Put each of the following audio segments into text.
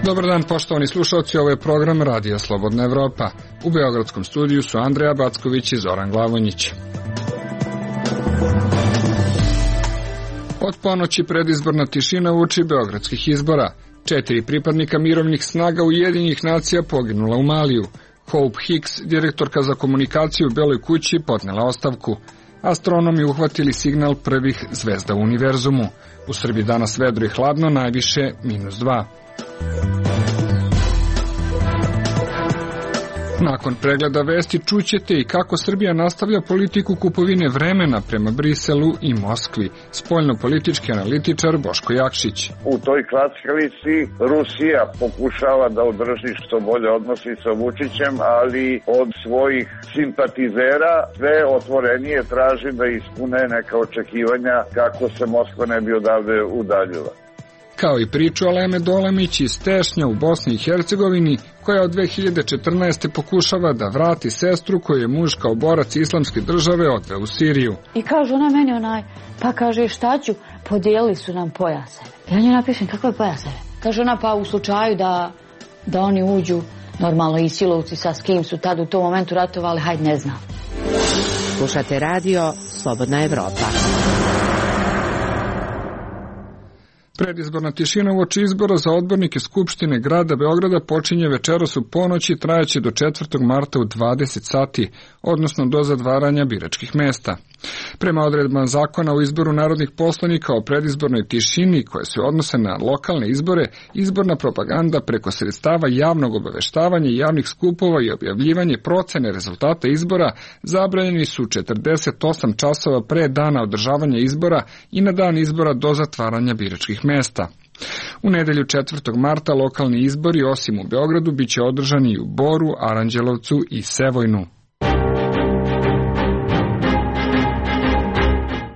Dobar dan, poštovani slušalci, ovo je program Radija Slobodna Evropa. U beogradskom studiju su Andreja Backović i Zoran Glavonjić. Od ponoći predizborna tišina uoči beogradskih izbora. 4 pripadnika mirovnih snaga Ujedinjenih nacija poginula u Maliju. Hope Hicks, direktorka za komunikaciju u Beloj kući, podnela ostavku. Astronomi uhvatili signal prvih zvezda u univerzumu. U Srbiji danas vedro i hladno, najviše -2. Nakon pregleda vesti čućete i kako Srbija nastavlja politiku kupovine vremena prema Briselu i Moskvi. Spoljno-politički analitičar Boško Jakšić. U toj kleckavici Rusija pokušava da održi što bolje odnosi sa Vučićem, ali od svojih simpatizera sve otvorenije traži da ispune neka očekivanja kako se Moskva ne bi odavde udaljila. Kao i priču Aleme Dolemić iz Tešnja u Bosni i Hercegovini, koja od 2014. pokušava da vrati sestru koju je muž kao borac islamske države odveo u Siriju. I kaže ona meni pa kaže šta ću, podijelili su nam pojaseve. Ja nju napišem kakve pojaseve. Kaže ona pa u slučaju da oni uđu, normalno i silovci sa s kim su tad u tom momentu ratovali, hajde ne znam. Slušate radio Slobodna Evropa. Predizborna tišina uoči izbora za odbornike Skupštine grada Beograda počinje večeras u ponoći, trajaće do 4. marta u 20 sati, odnosno do zatvaranja biračkih mesta. Prema odredbama zakona o izboru narodnih poslanika o predizbornoj tišini koje se odnose na lokalne izbore, izborna propaganda preko sredstava javnog obaveštavanja i javnih skupova i objavljivanje procene rezultata izbora zabranjeni su 48 časova pre dana održavanja izbora i na dan izbora do zatvaranja biračkih mesta. U nedelju 4. marta lokalni izbori, osim u Beogradu, biće održani i u Boru, Aranđelovcu i Sevojnu.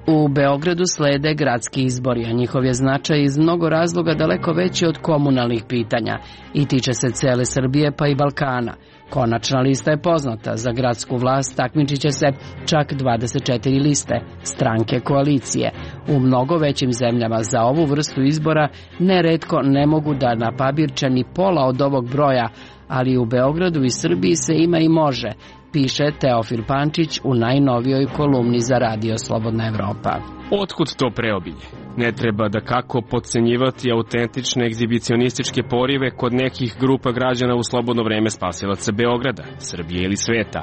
U Beogradu slede gradski izbori, a njihov je značaj iz mnogo razloga daleko veći od komunalnih pitanja i tiče se cele Srbije pa i Balkana. Konačna lista je poznata, za gradsku vlast takmičit će se čak 24 liste, stranke koalicije. U mnogo većim zemljama za ovu vrstu izbora neretko ne mogu da napabirče ni pola od ovog broja, ali u Beogradu i Srbiji se ima i može, piše Teofil Pančić u najnovijoj kolumni za Radio Slobodna Evropa. Otkud to preobilje? Ne treba da kako podcenjivati autentične egzibicionističke porive kod nekih grupa građana u slobodno vreme spasilaca Beograda, Srbije ili sveta.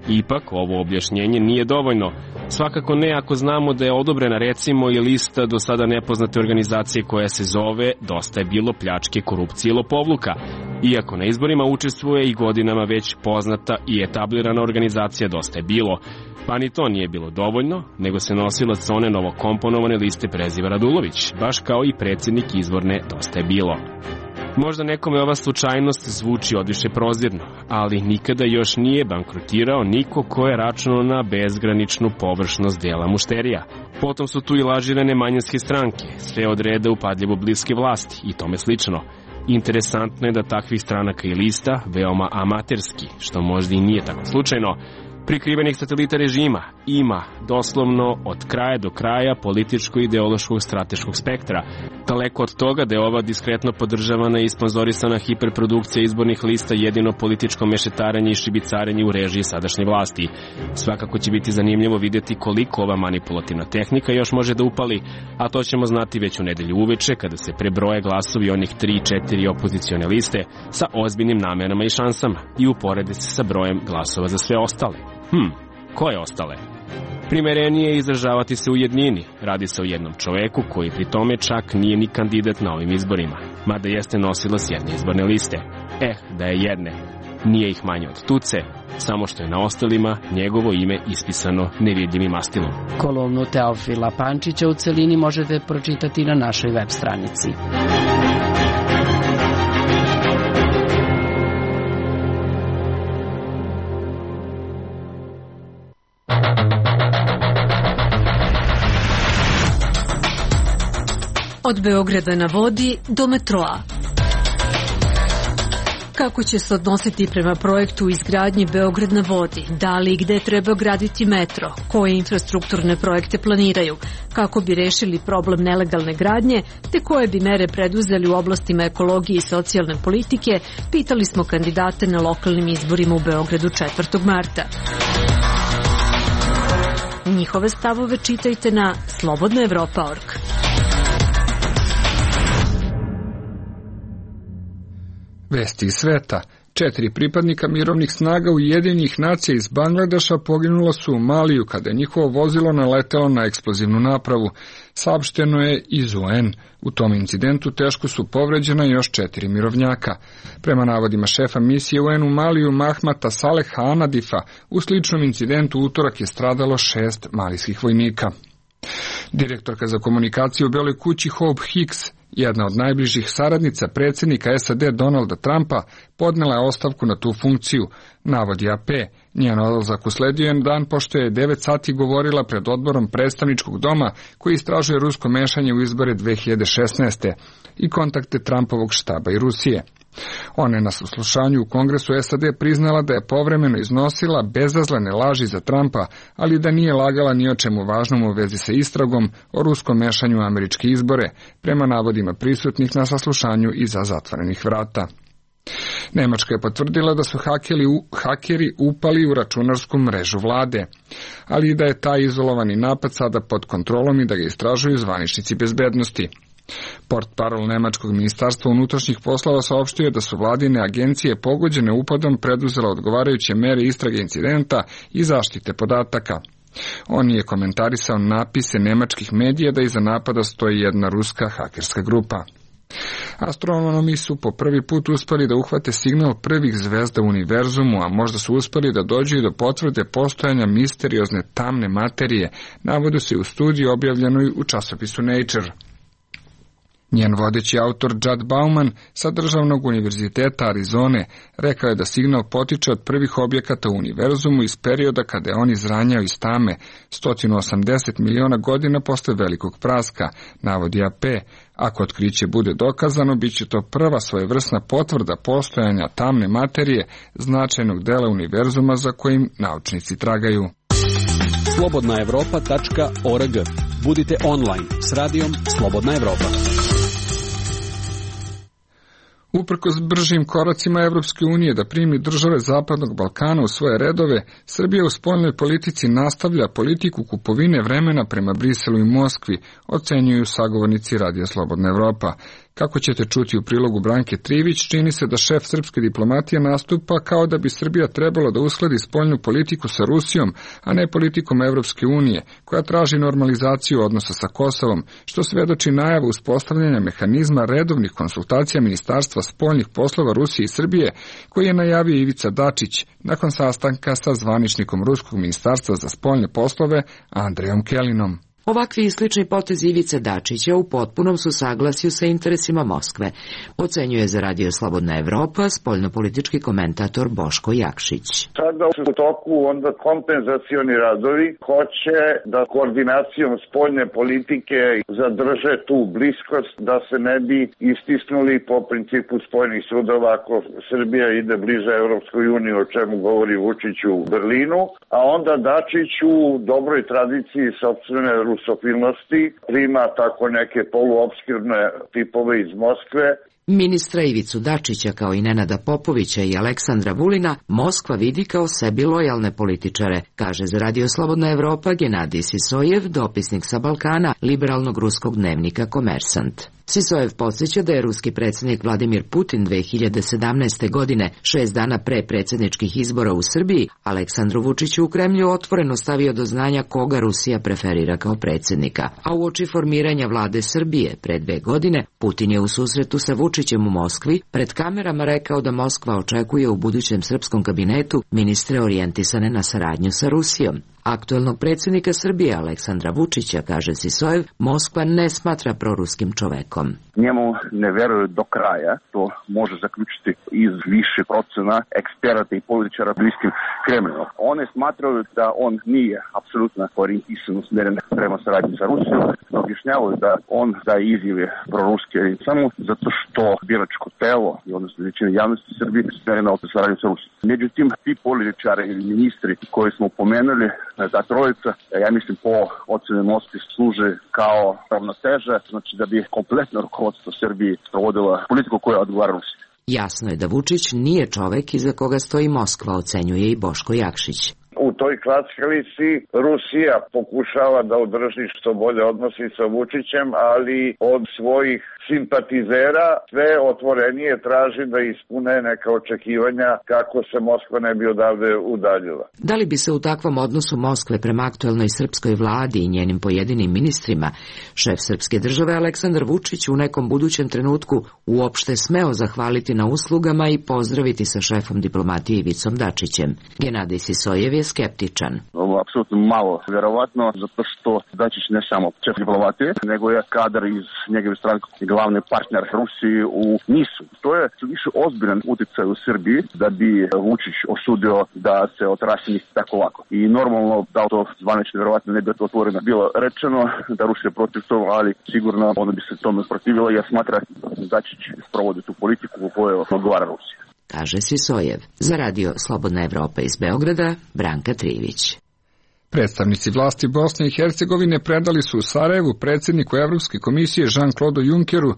Ipak, ovo objašnjenje nije dovoljno. Svakako ne ako znamo da je odobrena recimo i lista do sada nepoznate organizacije koja se zove Dosta je bilo pljačke, korupcije i lopovluka. Iako na izborima učestvuje i godinama već poznata i etablirana organizacija Dosta je bilo. Pa ni to nije bilo dovoljno, nego se nosilac one novokomponovane liste preziva Radulović, baš kao i predsjednik izvorne Dosta je bilo. Možda nekome ova slučajnost zvuči odviše prozirno, ali nikada još nije bankrotirao niko ko je računao na bezgraničnu površnost dela mušterija. Potom su tu i lažirane manjinske stranke, sve od reda upadljivo bliske vlasti i tome slično. Interesantno je da takvih stranaka i lista, veoma amaterski, što možda i nije tako slučajno, prikrivenih satelita režima ima doslovno od kraja do kraja političko-ideološkog strateškog spektra. Daleko od toga da je ova diskretno podržavana i sponzorisana hiperprodukcija izbornih lista jedino političko mešetarenje i šibicarenje u režiji sadašnje vlasti. Svakako će biti zanimljivo vidjeti koliko ova manipulativna tehnika još može da upali, a to ćemo znati već u nedelju uveče kada se prebroje glasovi onih 3-4 opozicione liste sa ozbiljnim namerama i šansama i uporede se sa brojem glasova za sve ostale. Koje ostale? Primerenije je izražavati se u jednini. Radi se o jednom čoveku koji pri tome čak nije ni kandidat na ovim izborima, mada jeste nosilac jedne izborne liste. Da je jedne. Nije ih manje od tuce, samo što je na ostalima njegovo ime ispisano nevidljivim mastilom. Kolumnu Teofila Pančića u celini možete pročitati na našoj web stranici. Od Beograda na vodi do metroa. Kako će se odnositi prema projektu izgradnje Beograd na vodi, da li i gde treba graditi metro, koje infrastrukturne projekte planiraju, kako bi rešili problem nelegalne gradnje, te koje bi mere preduzeli u oblastima ekologije i socijalne politike, pitali smo kandidate na lokalnim izborima u Beogradu 4. marta. Njihove stavove čitajte na slobodnaevropa.org. Vesti iz sveta. 4 pripadnika mirovnih snaga Ujedinjenih nacija iz Bangladeša poginula su u Maliju kada je njihovo vozilo naletelo na eksplozivnu napravu. Saopšteno je iz UN. U tom incidentu teško su povređena još 4 mirovnjaka. Prema navodima šefa misije UN u Maliju Mahmata Saleha Anadifa, u sličnom incidentu utorak je stradalo 6 malijskih vojnika. Direktorka za komunikaciju u Beloj kući Hope Hicks, jedna od najbližih saradnica predsjednika SAD Donalda Trumpa, podnela je ostavku na tu funkciju, navodi AP. Njen odlazak usledio je dan pošto je 9 sati govorila pred odborom predstavničkog doma koji istražuje rusko mešanje u izbore 2016. i kontakte Trumpovog štaba i Rusije. Ona je na saslušanju u Kongresu SAD priznala da je povremeno iznosila bezazlene laži za Trumpa, ali da nije lagala ni o čemu važnom u vezi sa istragom o ruskom mešanju u američke izbore, prema navodima prisutnih na saslušanju iza zatvorenih vrata. Nemačka je potvrdila da su hakeri upali u računarsku mrežu vlade, ali i da je taj izolovani napad sada pod kontrolom i da ga istražuju zvaničnici bezbednosti. Portparol Nemačkog ministarstva unutrašnjih poslova saopštio da su vladine agencije pogođene upadom preduzela odgovarajuće mere istrage incidenta i zaštite podataka. On je komentarisao napise nemačkih medija da iza napada stoji jedna ruska hakerska grupa. Astronomi su po prvi put uspeli da uhvate signal prvih zvezda u univerzumu, a možda su uspeli da dođu i do potvrde postojanja misteriozne tamne materije, navodi se u studiji objavljenoj u časopisu Nature. Njen vodeći autor Judd Bauman sa Državnog univerziteta Arizone rekao je da signal potiče od prvih objekata u univerzumu iz perioda kada je on izranjao iz tame 180 miliona godina posle velikog praska, navodi AP. Ako otkriće bude dokazano, bit će to prva svojevrsna potvrda postojanja tamne materije značajnog dela univerzuma za kojim naučnici tragaju. Slobodnaevropa.org. Budite online s radijom Slobodna Evropa. Uprkos bržim koracima Evropske unije da primi države Zapadnog Balkana u svoje redove, Srbija u spoljnoj politici nastavlja politiku kupovine vremena prema Briselu i Moskvi, ocenjuju sagovornici Radija Slobodna Evropa. Kako ćete čuti u prilogu Branke Trivić, čini se da šef srpske diplomatije nastupa kao da bi Srbija trebalo da uskladi spoljnu politiku sa Rusijom, a ne politikom Evropske unije, koja traži normalizaciju odnosa sa Kosovom, što svedoči najavu uspostavljanja mehanizma redovnih konsultacija Ministarstva spoljnih poslova Rusije i Srbije, koji je najavio Ivica Dačić nakon sastanka sa zvaničnikom Ruskog ministarstva za spoljne poslove Andrejom Kelinom. Ovakvi i slični potezi Ivice Dačića u potpunom su saglasju sa interesima Moskve, ocenjuje za Radio Slobodna Evropa spoljnopolitički komentator Boško Jakšić. Sada u toku onda kompenzacioni radovi hoće da koordinacijom spoljne politike zadrže tu bliskost, da se ne bi istisnuli po principu spojenih sudova ako Srbija ide bliže Evropskoj uniji, o čemu govori Vučić u Berlinu, a onda Dačić u dobroj tradiciji sopstvene rusofilnosti prima tako neke poluopskirne tipove iz Moskve. Ministra Ivicu Dačića kao i Nenada Popovića i Aleksandra Vulina Moskva vidi kao sebi lojalne političare, kaže za Radio Slobodna Evropa Genadij Sisojev, dopisnik sa Balkana liberalnog ruskog dnevnika Komersant. Sisojev podsjeća da je ruski predsjednik Vladimir Putin 2017. godine, 6 dana pre predsjedničkih izbora u Srbiji, Aleksandru Vučiću u Kremlju otvoreno stavio do znanja koga Rusija preferira kao predsjednika. A uoči formiranja vlade Srbije pre 2 godine, Putin je u susretu sa Vučićem u Moskvi pred kamerama rekao da Moskva očekuje u budućem srpskom kabinetu ministre orijentisane na saradnju sa Rusijom. Aktuelnog predsjednika Srbije Aleksandra Vučića, kaže Sisojev, Moskva ne smatra proruskim čovekom. Njemu ne veruju do kraja, to može zaključiti iz više procena eksperata i političara bliskim Kremlinu. One smatraju da on nije apsolutno orijentisan, usmjeren prema saradnji sa Rusijom, objašnjavaju da on daje izjave proruske samo zato što biračko telo i odnosno većina javnosti Srbije usmjerena od saradnje sa Rusijom. Međutim, ti političari ili ministri koji smo pomenuli, ta trojica, ja mislim po ocjeni Moskve služe kao ravnoteža, znači da bi kompletno rukovodstvo Srbije provodila politiku koja odgovara Rusiji. Jasno je da Vučić nije čovek iza koga stoji Moskva, ocenjuje i Boško Jakšić. U toj klackalici Rusija pokušava da održi što bolje odnosi sa Vučićem, ali od svojih simpatizera sve otvorenije traži da ispune neka očekivanja kako se Moskva ne bi odavde udaljila. Da li bi se u takvom odnosu Moskve prema aktuelnoj srpskoj vladi i njenim pojedinim ministrima šef srpske države Aleksandar Vučić u nekom budućem trenutku uopšte smeo zahvaliti na uslugama i pozdraviti sa šefom diplomatije Ivicom Dačićem? Genadij Sisojev je skeptičan. Ovo je apsolutno malo vjerovatno, zato što Dačić ne samo šef diplomatije, nego je kadar iz njegove stranke glavni partner Rusiji u NIS-u. To je više ozbiljan utjecaj u Srbiji da bi Vučić osudio da se otraši tako lako. I normalno da to zvanično vjerovatno ne bi otvoreno bilo rečeno da Rusija je protiv toga, ali sigurno ona bi se tome protivila jer smatra da Dačić provodi tu politiku u kojoj odgovara Rusija. Kaže Sisojev. Za radio Slobodna Evropa iz Beograda, Branka Trivić. Predstavnici vlasti Bosne i Hercegovine predali su u Sarajevu predsjedniku Evropske komisije Jean-Claude Junckeru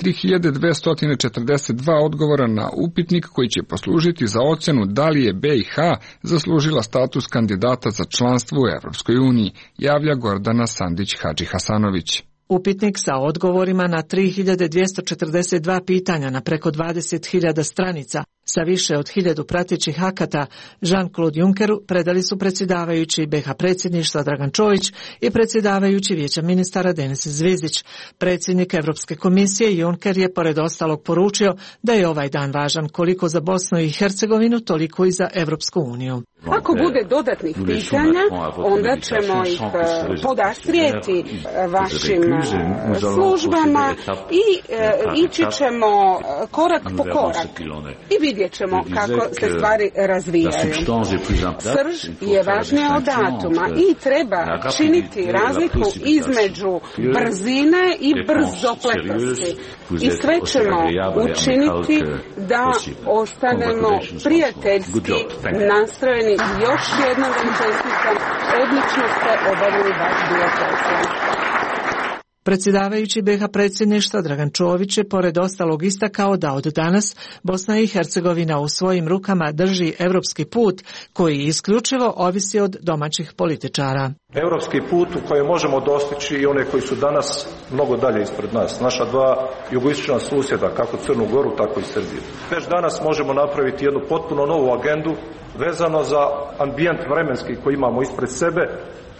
3242 odgovora na upitnik koji će poslužiti za ocjenu da li je BiH zaslužila status kandidata za članstvo u Evropskoj uniji, javlja Gordana Sandić-Hadži-Hasanović. Upitnik sa odgovorima na 3242 pitanja na preko 20.000 stranica sa više od 1000 pratećih akata Jean-Claude Junckeru predali su predsjedavajući BiH predsjedništva Dragan Čović i predsjedavajući Vijeća ministara Denis Zvizdić. Predsjednik Evropske komisije Juncker je pored ostalog poručio da je ovaj dan važan koliko za Bosnu i Hercegovinu, toliko i za Evropsku uniju. Ako bude dodatnih pitanja, onda ćemo ih podastrijeti vašim službama i ići ćemo korak po korak i vidjet ćemo kako se stvari razvijaju. Srž je važnija od datuma i treba činiti razliku između brzine i brzopletosti. I sve ćemo učiniti da ostanemo prijateljski nastrojeni. Još jednom vam čestitam, odlično ste obavili vaš dio posla. Predsjedavajući BiH predsjedništva Dragan Čović je pored ostalog istakao da od danas Bosna i Hercegovina u svojim rukama drži evropski put koji isključivo ovisi od domaćih političara. Evropski put u kojem možemo dostići i one koji su danas mnogo dalje ispred nas. Naša dva jugoistočna susjeda, kako Crnu Goru, tako i Srbiju. Već danas možemo napraviti jednu potpuno novu agendu vezano za ambijent vremenski koji imamo ispred sebe,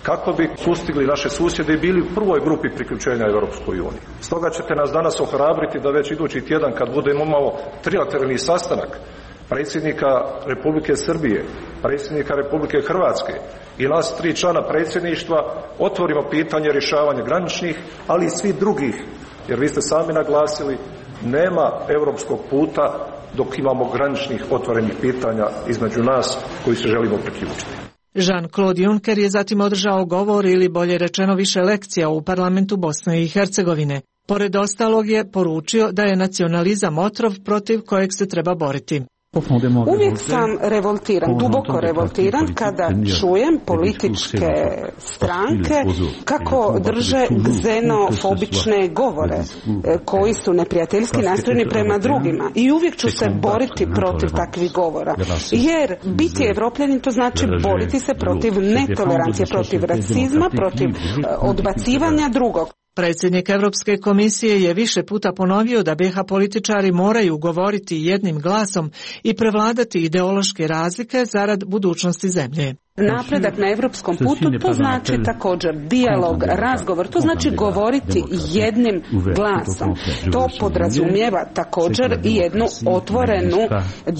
kako bi sustigli naše susjede i bili u prvoj grupi priključenja Europskoj uniji. Stoga ćete nas danas ohrabriti da već idući tjedan kad budemo imao trilateralni sastanak predsjednika Republike Srbije, predsjednika Republike Hrvatske i nas 3 člana predsjedništva otvorimo pitanje rješavanja graničnih, ali i svih drugih, jer vi ste sami naglasili, nema europskog puta dok imamo graničnih otvorenih pitanja između nas koji se želimo priključiti. Jean-Claude Juncker je zatim održao govor ili bolje rečeno više lekcija u parlamentu Bosne i Hercegovine. Pored ostalog je poručio da je nacionalizam otrov protiv kojeg se treba boriti. Uvijek sam revoltiran, duboko revoltiran kada čujem političke stranke kako drže xenofobične govore koji su neprijateljski nastrojeni prema drugima i uvijek ću se boriti protiv takvih govora. Jer biti Evropljanin to znači boriti se protiv netolerancije, protiv rasizma, protiv odbacivanja drugog. Predsjednik Evropske komisije je više puta ponovio da BiH političari moraju govoriti jednim glasom i prevladati ideološke razlike zarad budućnosti zemlje. Napredak na evropskom putu, to znači također dijalog, razgovor, to znači govoriti jednim glasom. To podrazumijeva također i jednu otvorenu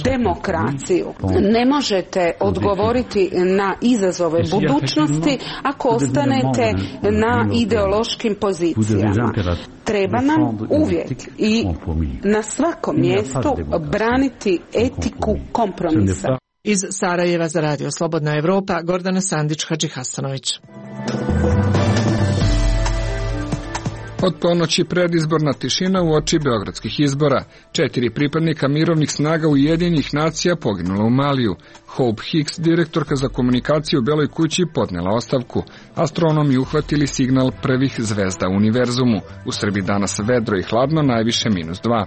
demokraciju. Ne možete odgovoriti na izazove budućnosti ako ostanete na ideološkim pozicijama. Treba nam uvijek i na svakom mjestu braniti etiku kompromisa. Iz Sarajeva za Radio Slobodna Evropa, Gordana Sandić-Hadžihasanović. Od ponoći predizborna tišina uoči beogradskih izbora. 4 pripadnika mirovnih snaga Ujedinjenih nacija poginula u Maliju. Hope Hicks, direktorka za komunikaciju u Beloj kući, podnela ostavku. Astronomi uhvatili signal prvih zvezda u univerzumu. U Srbiji danas vedro i hladno, najviše -2.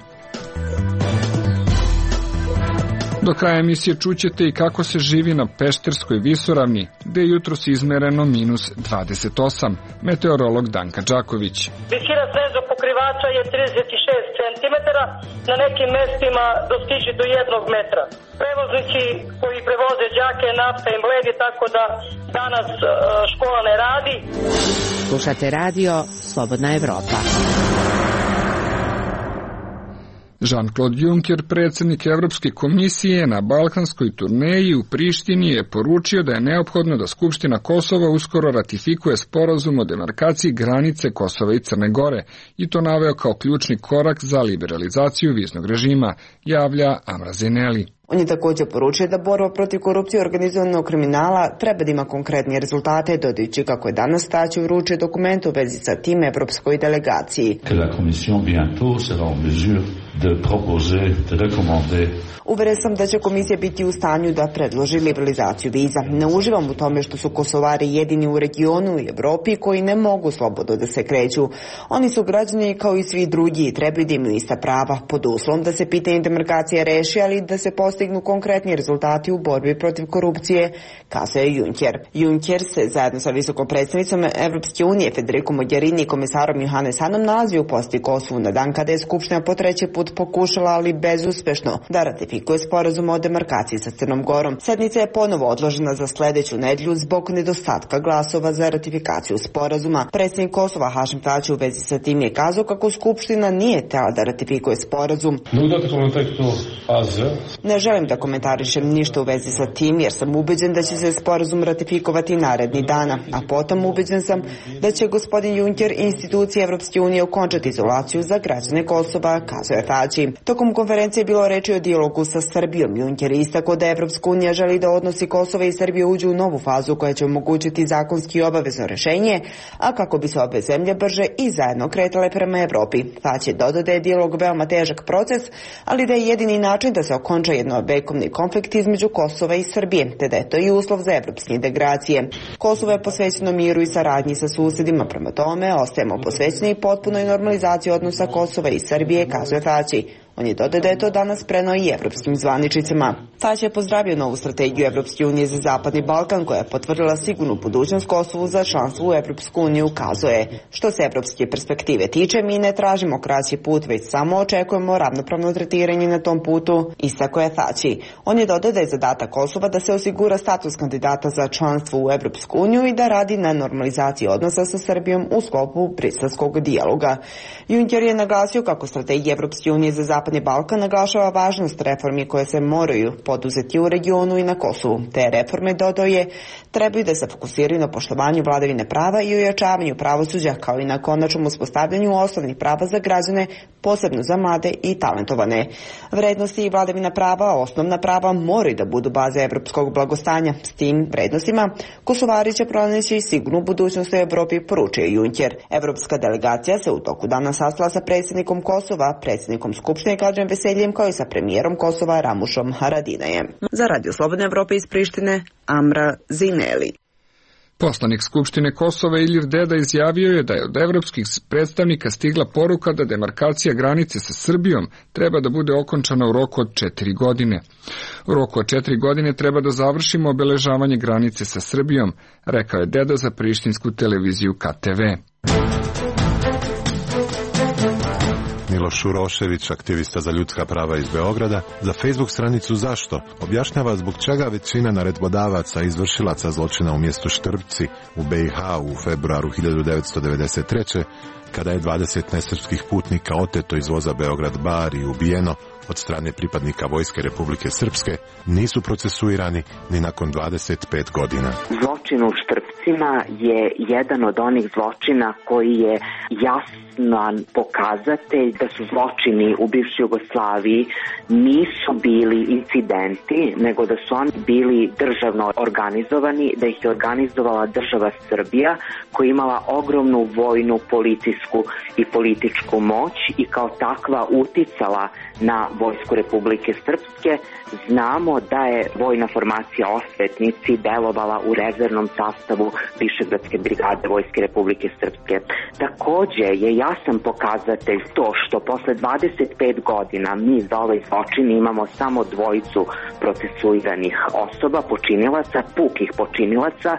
Do kraja emisije čućete i kako se živi na Pešterskoj visoravni, gde je jutros izmereno -28. Meteorolog Danka Đaković. Visina snežnog pokrivača je 36 cm, na nekim mestima dostiže do 1 metra. Prevoznici koji prevoze đake, nafta im bledi, tako da danas škola ne radi. Slušate radio Slobodna Evropa. Jean-Claude Juncker, predsjednik Evropske komisije, na balkanskoj turneji u Prištini je poručio da je neophodno da Skupština Kosova uskoro ratifikuje sporazum o demarkaciji granice Kosova i Crne Gore i to naveo kao ključni korak za liberalizaciju viznog režima, javlja Amra Zeneli. On je također poručio da borba protiv korupcije i organizovanog kriminala treba da ima konkretnije rezultate, dodajući kako je danas Tači uručio dokument u vezi sa tim evropskoj delegaciji. Uveren sam da će komisija biti u stanju da predloži liberalizaciju viza. Ne uživam u tome što su Kosovari jedini u regionu i Evropi koji ne mogu slobodno da se kreću. Oni su građani kao i svi drugi i trebaju da imaju ista prava, pod uslovom da se pitanje demarkacije reši, ali da se postignu konkretni rezultati u borbi protiv korupcije, kazuje Juncker. Juncker se zajedno sa visokom predstavnicom Evropske unije Federico Mogherini i komisarom Johannes Hanom nalazi u posjeti Kosovu na dan kada je Skupština po 3. put pokušala, ali bezuspešno, da ratifikuje sporazum o demarkaciji sa Crnom Gorom. Sednica je ponovo odložena za sledeću nedjelju zbog nedostatka glasova za ratifikaciju sporazuma. Predsjednik Kosova Hašim Tači u vezi sa tim je kazao kako Skupština nije htela da ratifikuje sporazum. Ne želim da komentarišem ništa u vezi sa tim jer sam ubeđen da će se sporazum ratifikovati naredni dana, a potom ubeđen sam da će gospodin Juncker i institucije Evropske unije okončati izolaciju za građane Kosova, kazuje Tači. Tokom konferencije je bilo reči o dijalogu sa Srbijom. Juncker je istakao da Evropska unija želi da odnosi Kosova i Srbije uđu u novu fazu koja će omogućiti zakonski obavezno rešenje, a kako bi se obe zemlje brže i zajedno kretale prema Evropi. Tači je dodao da je dijalog veoma težak proces, ali da je jedini način da se okonča jednovekovni konflikt između Kosova i Srbije, te da je to i uslov za evropske integracije. Kosovo je posvećeno miru i saradnji sa susjedima, prema tome ostajemo posvećeni potpunoj normalizaciji odnosa Kosova i Srbije, kazuje Tači. On je dodao da je to danas preneo i evropskim zvaničnicima. Tači je pozdravio novu strategiju Evropske unije za Zapadni Balkan koja je potvrdila sigurnu budućnost Kosovu za članstvo u Evropsku uniju, kazuje. Što se evropske perspektive tiče, mi ne tražimo kraći put, već samo očekujemo ravnopravno tretiranje na tom putu, istakao je Tači. On je dodao da je zadatak Kosova da se osigura status kandidata za članstvo u Evropsku uniju i da radi na normalizaciji odnosa sa Srbijom u sklopu briselskog dijaloga. Juncker je naglasio kako strategija Evropske unije za Zapadni Balkan naglašava važnost reformi koje se moraju poduzeti u regionu i na Kosovu. Te reforme, dodao je, trebaju da se fokusiraju na poštovanju vladavine prava i ojačavanju pravosuđa, kao i na konačnom uspostavljanju osnovnih prava za građane, posebno za mlade i talentovane. Vrednosti i vladavina prava, osnovna prava, moraju da budu baze evropskog blagostanja. S tim vrednostima Kosovari će pronaći sigurnu budućnost u Evropi, poručio Juncker. Evropska delegacija se u toku dana sastala sa predsjednikom Kosova, predsjednikom Skupštine Kladžem Veseljem, kao i sa premijerom Kosova Ramušom Haradinajem. Za Radio Slobodne Evrope iz Prištine, Amra Zineli. Poslanik Skupštine Kosova Ilir Deda izjavio je da je od evropskih predstavnika stigla poruka da demarkacija granice sa Srbijom treba da bude okončana u roku od 4 godine. U roku od 4 godine treba da završimo obeležavanje granice sa Srbijom, rekao je Deda za prištinsku televiziju KTV. Miloš Urošević, aktivista za ljudska prava iz Beograda, za Facebook stranicu Zašto objašnjava zbog čega većina naredbodavaca i izvršilaca zločina u mjestu Štrbci u BiH u februaru 1993. kada je 20 nesrpskih putnika oteto iz voza Beograd-Bar i ubijeno od strane pripadnika Vojske Republike Srpske, nisu procesuirani ni nakon 25 godina. Zločin u Štrpcima je jedan od onih zločina koji je jasan pokazatelj da su zločini u bivšoj Jugoslaviji nisu bili incidenti, nego da su oni bili državno organizovani, da ih je organizovala država Srbija koja je imala ogromnu vojnu, policijsku i političku moć i kao takva uticala na Vojsku Republike Srpske. Znamo da je vojna formacija Osvetnici delovala u rezervnom sastavu Višegradske brigade Vojske Republike Srpske. Takođe je jasan pokazatelj to što posle 25 godina mi za ovaj zločin imamo samo dvojicu procesuiranih osoba, počinilaca, pukih počinilaca,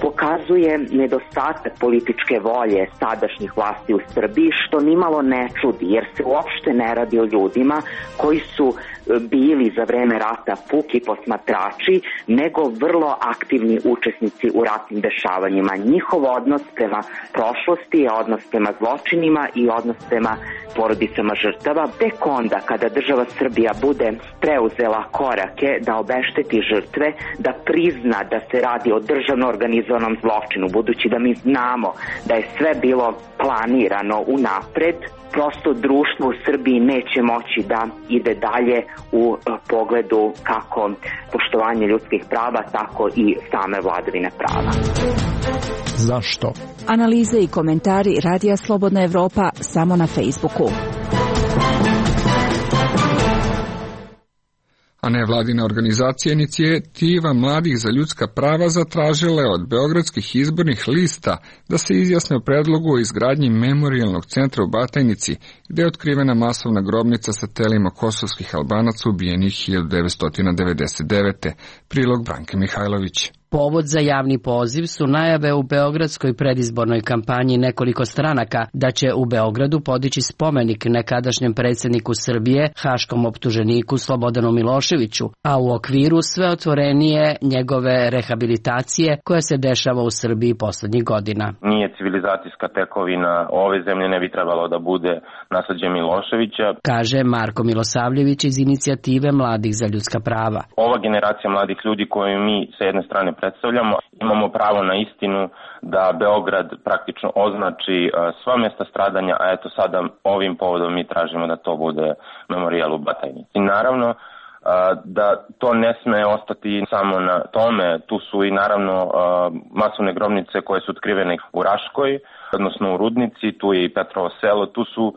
pokazuje nedostatak političke volje sadašnjih vlasti u Srbiji, što nimalo ne čudi, jer se uopšte ne radi o ljudima koji su bili za vreme rata puki posmatrači, nego vrlo aktivni učesnici u ratnim dešavanjima. Njihov odnos prema prošlosti je odnos prema zločinima i odnos prema porodicama žrtava. Tek onda kada država Srbija bude preuzela korake da obešteti žrtve, da prizna da se radi o državno organizovanom zločinu, budući da mi znamo da je sve bilo planirano unapred, prosto društvo u Srbiji neće moći da ide dalje u pogledu kako poštovanje ljudskih prava, tako i same vladavine prava. Zašto? Analize i komentari Radija Slobodna Evropa samo na Facebooku. A nevladina organizacija Inicijativa mladih za ljudska prava zatražila je od beogradskih izbornih lista da se izjasne o predlogu o izgradnji memorijalnog centra u Batajnici, gde je otkrivena masovna grobnica sa telima kosovskih Albanaca ubijenih 1999. Prilog Branke Mihajlović. Povod za javni poziv su najave u beogradskoj predizbornoj kampanji nekoliko stranaka da će u Beogradu podići spomenik nekadašnjem predsjedniku Srbije, haškom optuženiku Slobodanu Miloševiću, a u okviru sve otvorenije njegove rehabilitacije koja se dešava u Srbiji poslednjih godina. Nije civilizacijska tekovina ove zemlje, ne bi trebalo da bude nasleđe Miloševića, kaže Marko Milosavljević iz Inicijative mladih za ljudska prava. Ova generacija mladih ljudi koju mi sa jedne strane predstavljamo, imamo pravo na istinu da Beograd praktično označi sva mjesta stradanja, a eto sada ovim povodom mi tražimo da to bude memorijal u Batajnici. I naravno da to ne sme ostati samo na tome, tu su i naravno masovne grobnice koje su otkrivene u Raškoj, odnosno u Rudnici, tu je i Petrovo selo, tu su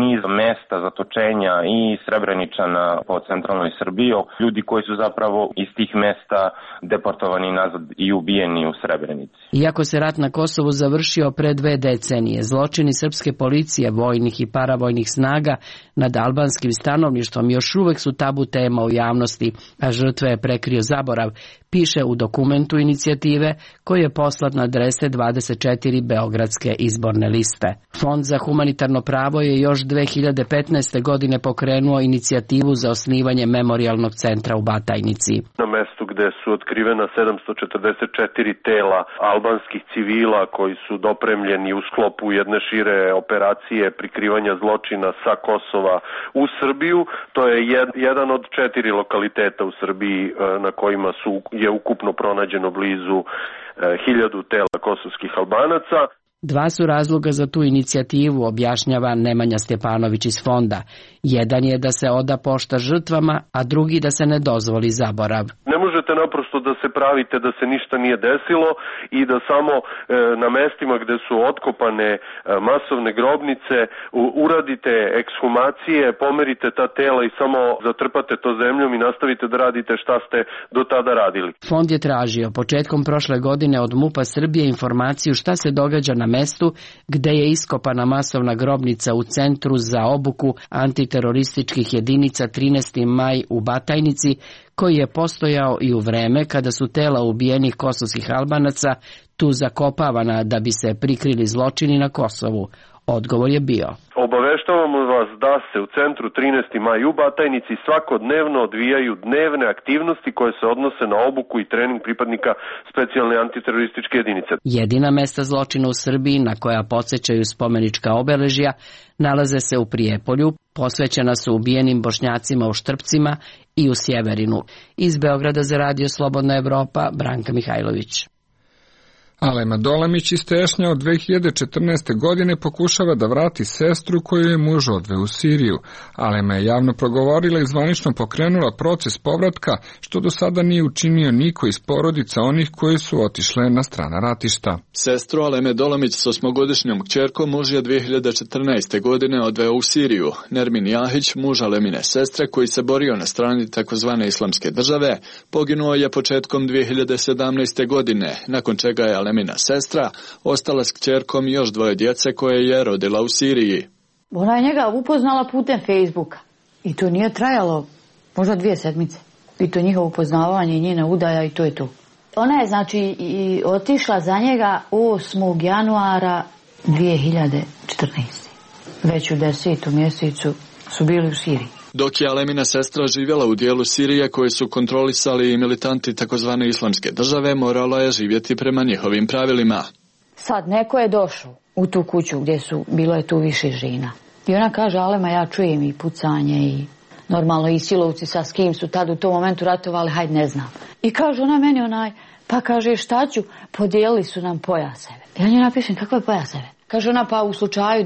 niz mesta zatočenja i Srebreničana po centralnoj Srbiji, ljudi koji su zapravo iz tih mesta deportovani nazad i ubijeni u Srebrenici. Iako se rat na Kosovu završio pre 2 decenije, zločini srpske policije, vojnih i paravojnih snaga nad albanskim stanovništvom još uvek su tabu tema u javnosti, a žrtve je prekrio zaborav, piše u dokumentu inicijative koji je poslat na adrese 24 beogradske izborne liste. Fond za humanitarno pravo je još 2015. godine pokrenuo inicijativu za osnivanje memorijalnog centra u Batajnici. Na mestu gde su otkrivena 744 tela albanskih civila koji su dopremljeni u sklopu jedne šire operacije prikrivanja zločina sa Kosova u Srbiju, to je jedan od 4 lokaliteta u Srbiji na kojima je ukupno pronađeno blizu 1000 tela kosovskih Albanaca. 2 su razloga za tu inicijativu, objašnjava Nemanja Stjepanović iz fonda. Jedan je da se oda pošta žrtvama, a drugi da se ne dozvoli zaborav. Ne možete naprosto da se pravite da se ništa nije desilo i da samo na mestima gde su otkopane masovne grobnice uradite ekshumacije, pomerite ta tela i samo zatrpate to zemljom i nastavite da radite šta ste do tada radili. Fond je tražio početkom prošle godine od MUP-a Srbije informaciju šta se događa na mestu gde je iskopana masovna grobnica u Centru za obuku antiterorističkih jedinica 13. maj u Batajnici, koji je postojao i u vreme kada su tela ubijenih kosovskih Albanaca tu zakopavana da bi se prikrili zločini na Kosovu. Odgovor je bio: Obaveštavamo vas da se u centru 13. maj u Batajnici svakodnevno odvijaju dnevne aktivnosti koje se odnose na obuku i trening pripadnika specijalne antiterorističke jedinice. Jedina mesta zločina u Srbiji na koja podsjećaju spomenička obeležja nalaze se u Prijepolju, posvećena su ubijenim Bošnjacima u Štrpcima i u Sjeverinu. Iz Beograda za Radio Slobodna Evropa, Branka Mihajlović. Alema Dolamić iz Tešnja od 2014. godine pokušava da vrati sestru koju je muž odveo u Siriju. Alema je javno progovorila i zvanično pokrenula proces povratka, što do sada nije učinio niko iz porodica onih koji su otišle na strana ratišta. Sestru Aleme Dolamić s 8-godišnjom kćerkom muž je 2014. godine odveo u Siriju. Nermin Jahić, muž Alemine sestre koji se borio na strani takozvane islamske države, poginuo je početkom 2017. godine, nakon čega je Alemina sestra ostala s kćerkom i još 2 djece koje je rodila u Siriji. Ona je njega upoznala putem Facebooka i to nije trajalo možda 2 sedmice. I to njihovo upoznavanje i njena udaja i to je to. Ona je znači i otišla za njega 8. januara 2014. Već u 10. mjesecu su bili u Siriji. Dok je Alemina sestra živjela u dijelu Sirije koje su kontrolisali i militanti takozvane islamske države, morala je živjeti prema njihovim pravilima. Sad neko je došao u tu kuću gdje bilo je tu više žena. I ona kaže: Alema, ja čujem i pucanje i normalno i silovci sa s kim su tad u tom momentu ratovali, hajde ne znam. I kaže ona meni pa kaže šta ću, podijelili su nam pojaseve. Ja nju napišem: kakve pojaseve? Kaže ona: pa u slučaju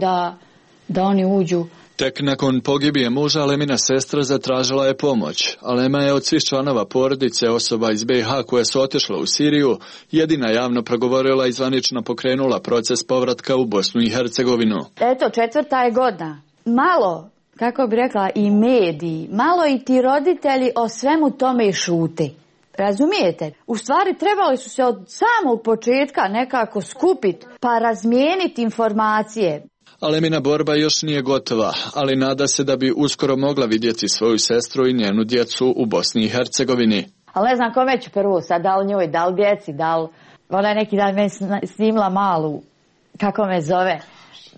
da oni uđu. Tek nakon pogibije muža Alemina sestra zatražila je pomoć. Alema je od svih članova porodice osoba iz BiH koje su otišle u Siriju jedina javno progovorila i zvanično pokrenula proces povratka u Bosnu i Hercegovinu. Eto, 4. je godina. Malo, kako bi rekla, i mediji, malo i ti roditelji o svemu tome i šute. Razumijete? U stvari trebali su se od samog početka nekako skupiti pa razmijeniti informacije. Alemina borba još nije gotova, ali nada se da bi uskoro mogla vidjeti svoju sestru i njenu djecu u Bosni i Hercegovini. Ali ne znam kome ću prvo sad, da li njoj, da li djeci, da li... Ona je neki dan meni snimila malu, kako me zove.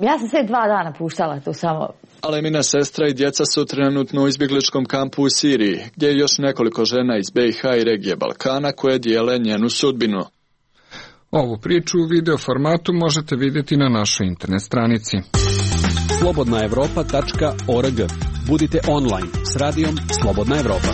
Ja sam sve 2 dana puštala tu samo. Alemina sestra i djeca su trenutno u izbjegličkom kampu u Siriji, gdje je još nekoliko žena iz BiH i regije Balkana koje dijele njenu sudbinu. Ovu priču u video formatu možete vidjeti na našoj internet stranici. slobodnaevropa.org. Budite online s radijom Slobodna Evropa.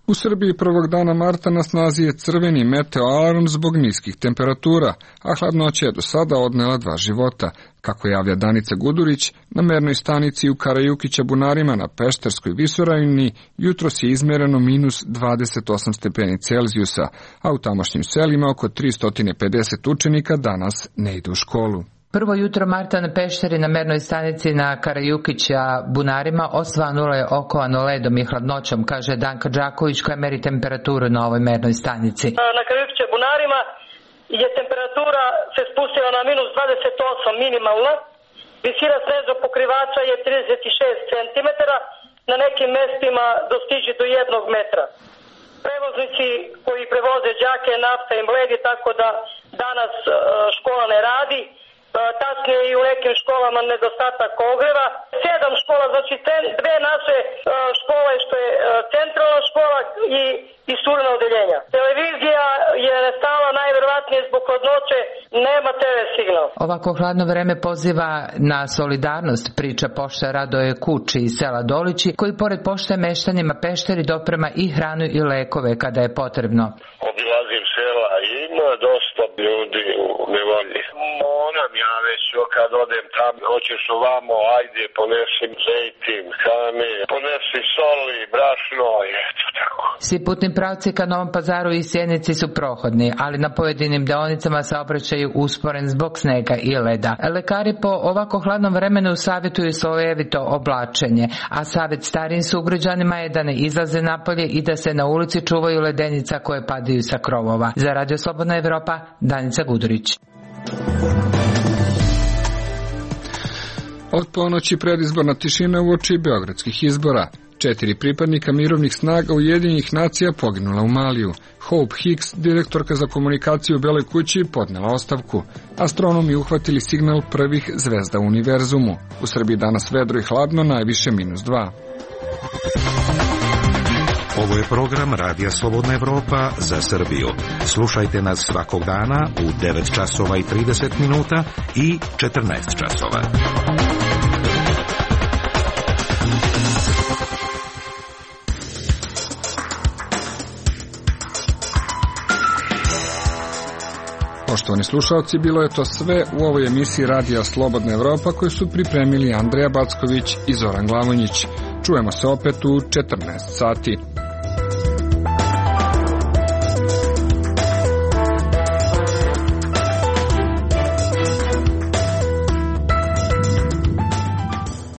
U Srbiji prvog dana marta na snazi je crveni meteoalarm zbog niskih temperatura, a hladnoća je do sada odnela 2 života. Kako javlja Danica Gudurić, na mernoj stanici u Karajukića Bunarima na Pešterskoj visoravni jutros je izmereno -28 stepeni Celzijusa, a u tamošnjim selima oko 350 učenika danas ne ide u školu. Prvo jutro marta na Pešteri na mernoj stanici na Karajukića Bunarima osvanulo je okovano ledom i hladnoćom, kaže Danka Đaković koja meri temperaturu na ovoj mernoj stanici. Na Karajukića Bunarima je temperatura se spustila na -28 minimalna, visina snežnog pokrivača je 36 cm, na nekim mestima dostiže do 1 metra. Prevoznici koji prevoze đake, nafta i mledi, tako da danas škola ne radi. Tačnije i u nekim školama nedostatak ogreva. 7 škola, znači 2 naše škole što je centralna škola i studena odeljenja. Televizija je stala najverovatnije zbog hladnoće, nema TV signal. Ovako hladno vreme poziva na solidarnost, priča pošta Radoje Kuči iz sela Dolići, koji pored pošte meštanima Pešteri doprema i hranu i lekove kada je potrebno. Obilazim sela i ima dosta ljudi u nevolji. Moram ja već kad odem tam, hoćeš ovamo, ajde, ponesi zejtin, kame, ponesi soli, brašno, eto tako. Svi putni pravci ka Novom Pazaru i Sjenici su prohodni, ali na pojedinim deonicama saobraćaj usporen zbog snega i leda. Lekari po ovako hladnom vremenu savjetuju slojevito oblačenje, a savjet starijim sugrađanima je da ne izlaze napolje i da se na ulici čuvaju ledenica koje padaju sa krovova. Za Radio Slobodna Evropa, Danica Gudurić. Od ponoći predizborna tišina uoči beogradskih izbora. 4 pripadnika mirovnih snaga Ujedinjenih nacija poginula u Maliju. Hope Hicks, direktorka za komunikaciju u Beloj kući, podnela ostavku. Astronomi uhvatili signal prvih zvezda u univerzumu. U Srbiji danas vedro i hladno, najviše -2. Ovo je program Radija Slobodna Evropa za Srbiju. Slušajte nas svakog dana u 9 časova i 30 minuta i 14 časova. Poštovani slušalci, bilo je to sve u ovoj emisiji Radija Slobodna Evropa koju su pripremili Andreja Backović i Zoran Glavonjić. Čujemo se opet u 14 sati.